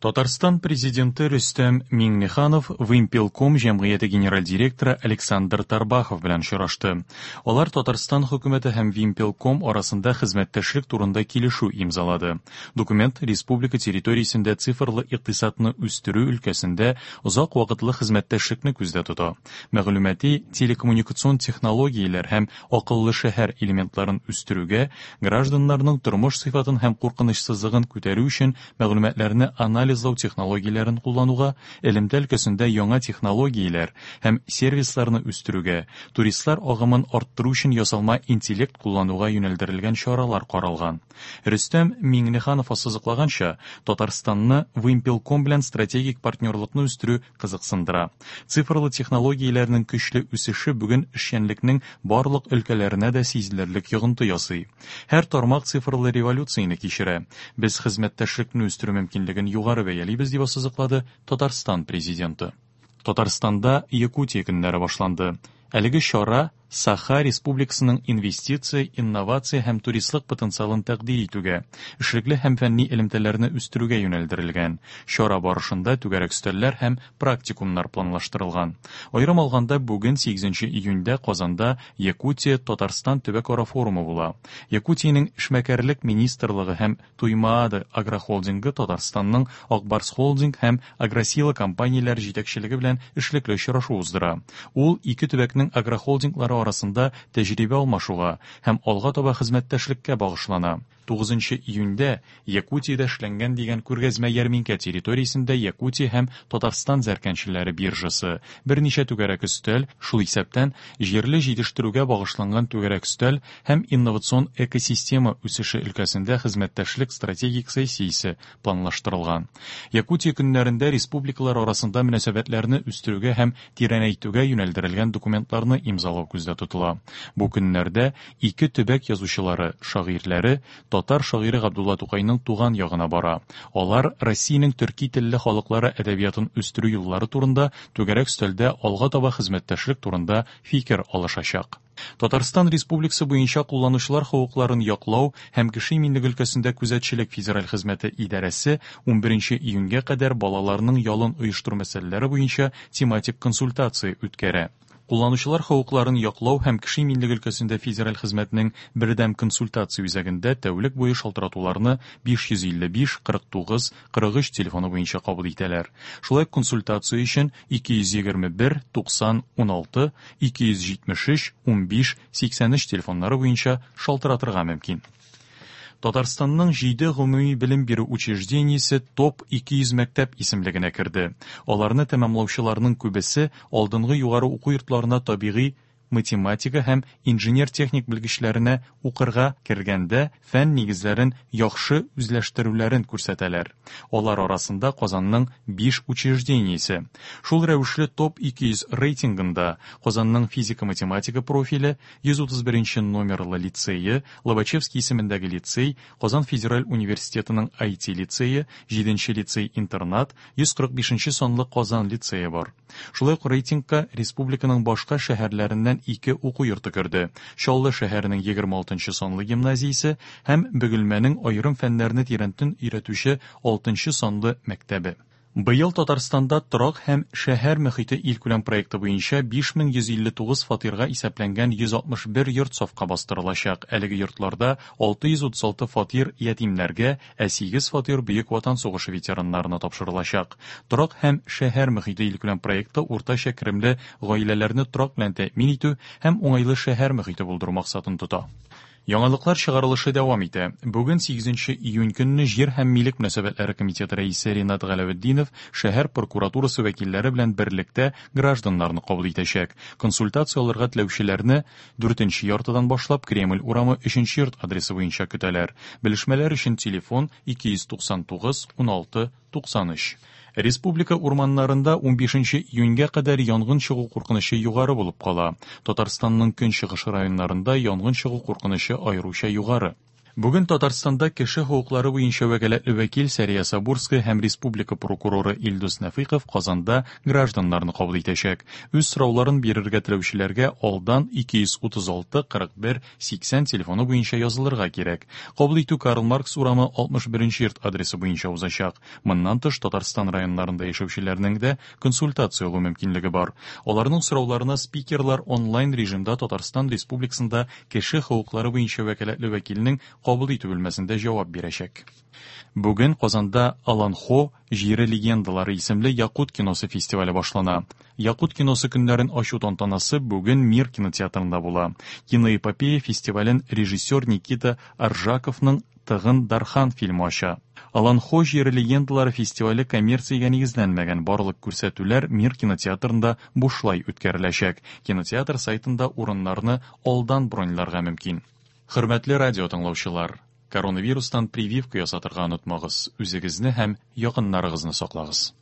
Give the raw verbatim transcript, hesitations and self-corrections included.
Татарстан президенты Рөстәм Миңнеханов Вымпелком җәмгыяте генераль директоры Александр Тарбахов белән очрашты. Алар Татарстан хөкүмәте һәм Вимпелком арасында хезмәттәшлек турында килешү имзалады. Документ республика территориясендә цифрлы икътисадны үстерү өлкәсендә озак вакытлы хезмәттәшлекне күздә тота. Мәгълүмати телекоммуникацион технологияләр һәм акыллы шәһәр элементларын үстерүгә, гражданнарның тормыш сыйфатын һәм куркынычсызлыгын күтәрү өчен мәгълүматларны анализ анализлау технологияләрен куллануга, элемтә өлкәсендә яңа технологияләр һәм сервисларны үстерүгә, туристлар агымын арттыру өчен ясалма интеллект куллануга юнәлдерелгән чаралар каралган. Рөстәм Миңнеханов ассызыклаганча, Татарстанны Вымпелком белән стратегик партнерлыкны үстерү кызыксындыра. Цифрлы технологияләрнең көчле үсеше бүген эшчәнлекнең барлык өлкәләренә дә сизелерлек йогынты ясый. Һәр тармак цифрлы революцияне кичерә. Без хезмәттәшлекне үстерү мөмкинлеген югары бәялибез, дип ассызыклады Татарстан президенты. Татарстанда Якутия көннәре башланды. Әлеге чара Саха Республикасының инвестиция, инновация һәм туристлык потенциалын тәкъдир итүгә, эшлекле һәм фәнни элемтәләрне үстерүгә юнәлдерелгән. Чара барышында түгәрәк өстәлләр һәм практикумнар планлаштырылган. Аерым алганда, бүген сигезенче июньдә Казанда Якутия Татарстан төбәкара форумы була. Якутиянең эшмәкәрлек министрлыгы һәм Туймаада агрохолдингы Татарстанның Акбарс холдинг һәм Агросила компанияләре җитәкчелеге белән эшлекле очрашу уздыра. Ул ике төбәкнең агрохолдинглары арасында тәҗрибә алмашуга һәм алга таба хезмәттәшлеккә багышлана. Тугызынчы июньдә Якутиядә эшләнгән дигән күргәзмә ярминкә территориясендә Якутия һәм Татарстан зәркәнчеләре биржасы, берничә түгәрәк өстәл, шул исәптән җирле җитештерүгә багышланган түгәрәк өстәл һәм инновацион экосистема үсеше өлкәсендә хезмәттәшлек стратегик сессиясе планлаштырылган. Якутия көннәрендә республикалар арасында мөнәсәбәтләрне үстерүгә һәм тирәнәйтүгә юнәлдерелгән документларны имзалау күздә тотыла. Бу көннәрдә ике төбәк язучылары, шагыйрьләре татар шагыйре Габдулла Тукайның туган ягына бара. Алар Россиянең төрки телле халыклары әдәбиятын үстерү юллары турында түгәрәк өстәлдә алга таба хезмәттәшлек турында фикер алышачак. Татарстан Республикасы буенча кулланучылар хокукларын яклау һәм кеше иминлеге өлкәсендә күзәтчелек федераль хезмәте идарәсе унберенче июньгә кадәр балаларның ялын оештыру мәсьәләләре буенча тематик консультация үткәрә. Кулланучылар хокукларын яклау һәм кеше иминлеге өлкәсендә федераль хезмәтнең бердәм консультация үзәгендә тәүлек буе шалтыратуларны биш йөз илле биш, кырык тугыз, кырык өч телефоны буенча кабул итәләр. Шулай консультация өчен ике йөз егерме бер, туксан, уналты, ике йөз җитмеш өч, унбиш, сиксән өч телефоннары буенча шалтыратырга мөмкин. Татарстанның җиде гомуми белем бирү учреждениесе топ ике йөз мәктәп исемлегенә керде. Аларны тәмамлаучыларның күбесе алдынгы югары уку йортларына табигый математика һәм инженер-техник белгечләренә укырга кергәндә фән нигезләрен яхшы үзләштерүләрен күрсәтәләр. Алар арасында Казанның биш учреждениесе. Шул рәвешле топ ике йөз рейтингында Казанның физика-математика профиле, йөз утыз беренче номерлы лицее, Лобачевский исемендәге лицей, Казан федераль университетының ай ти лицее, җиденче лицей-интернат, йөз кырык бишенче санлы Казан лицее бар. Шулай ук рейтингка республиканың башка шәһәрләреннән ике уку йорты керде. Чаллы шәһәренең егерме алтынчы санлы гимназиясе һәм Бөгелмәнең аерым фәннәрне тирәнтен өйрәтүче алтынчы санлы мәктәбе. Быел Татарстанда торак һәм шәһәр мөхите илкүләм проекты буенча биш мең йөз илле тугыз фатирга исәпләнгән йөз алтмыш бер йорт сафка бастырылачак. Әлеге йортларда алты йөз утыз алты фатир ятимнәргә, ә сигез фатир Бөек Ватан сугышы ветераннарына тапшырылачак. Торак һәм шәһәр мөхите илкүләм проекты уртача керемле гаиләләрне торак белән тәэмин итү һәм уңайлы шәһәр мөхите булдыру максатын тота. Яңалыклар чыгарылышы дәвам итә. Бүген сигезенче июнь көнне Җир һәм милек мөнәсәбәтләре комитеты рәисе Ринат Галәветдинов шәһәр прокуратурасы вәкилләре белән берлектә гражданнарны кабул итәчәк. Консультация алырга теләүчеләрне дүртенче яртыдан башлап Кремль урамы өченче йорт адресы буенча көтәләр. Белешмәләр өчен телефон ике йөз туксан тугыз, уналты, туксан өч. Республика урманнарында унбишенче июньгә кадәр янгын чыгу куркынычы югары булып кала. Татарстанның көнчыгыш районнарында янгын чыгу куркынычы аеруча югары. Бүген Татарстанда кеше хокуклары буенча вәкаләтле вәкил Сәрия Сабурская һәм республика прокуроры Илдус Нәфыйков Казанда гражданнарны кабул итәчәк. Үз сорауларын бирергә теләүчеләргә алдан ике йөз утыз алты кырык бер сиксән телефоны буенча язылырга кирәк. Кабул итү Карл Маркс урамы алтмыш беренче йорт адресы буенча узачак. Моннан тыш Татарстан районнарында яшәүчеләрнең дә консультация алу мөмкинлеге бар. Аларның сорауларына спикерлар онлайн режимда Татарстан Республикасында кеше хокуклары буенча вәкаләтле вәкилнең кабул итү бүлмәсендә җавап бирәчәк. Бүген Казанда Олонхо җире легендалары исемле Якут киносы фестивале башлана. Якут киносы көннәрен ачу тантанасы бүген Мир кинотеатрында була. Киноэпопея фестивален режиссер Никита Аржаковның Тыгын Дархан фильмы ача. Олонхо җире легендалары фестивале коммерциягә нигезләнмәгән, барлык күрсәтүләр Мир кинотеатрында бушлай үткәреләчәк. Кинотеатр сайтында урыннарны алдан броньларга мөмкин. Хөрмәтле радио тыңлаучылар, коронавирустан прививка ясатырга онытмагыз, үзегезне һәм якыннарыгызны саклагыз.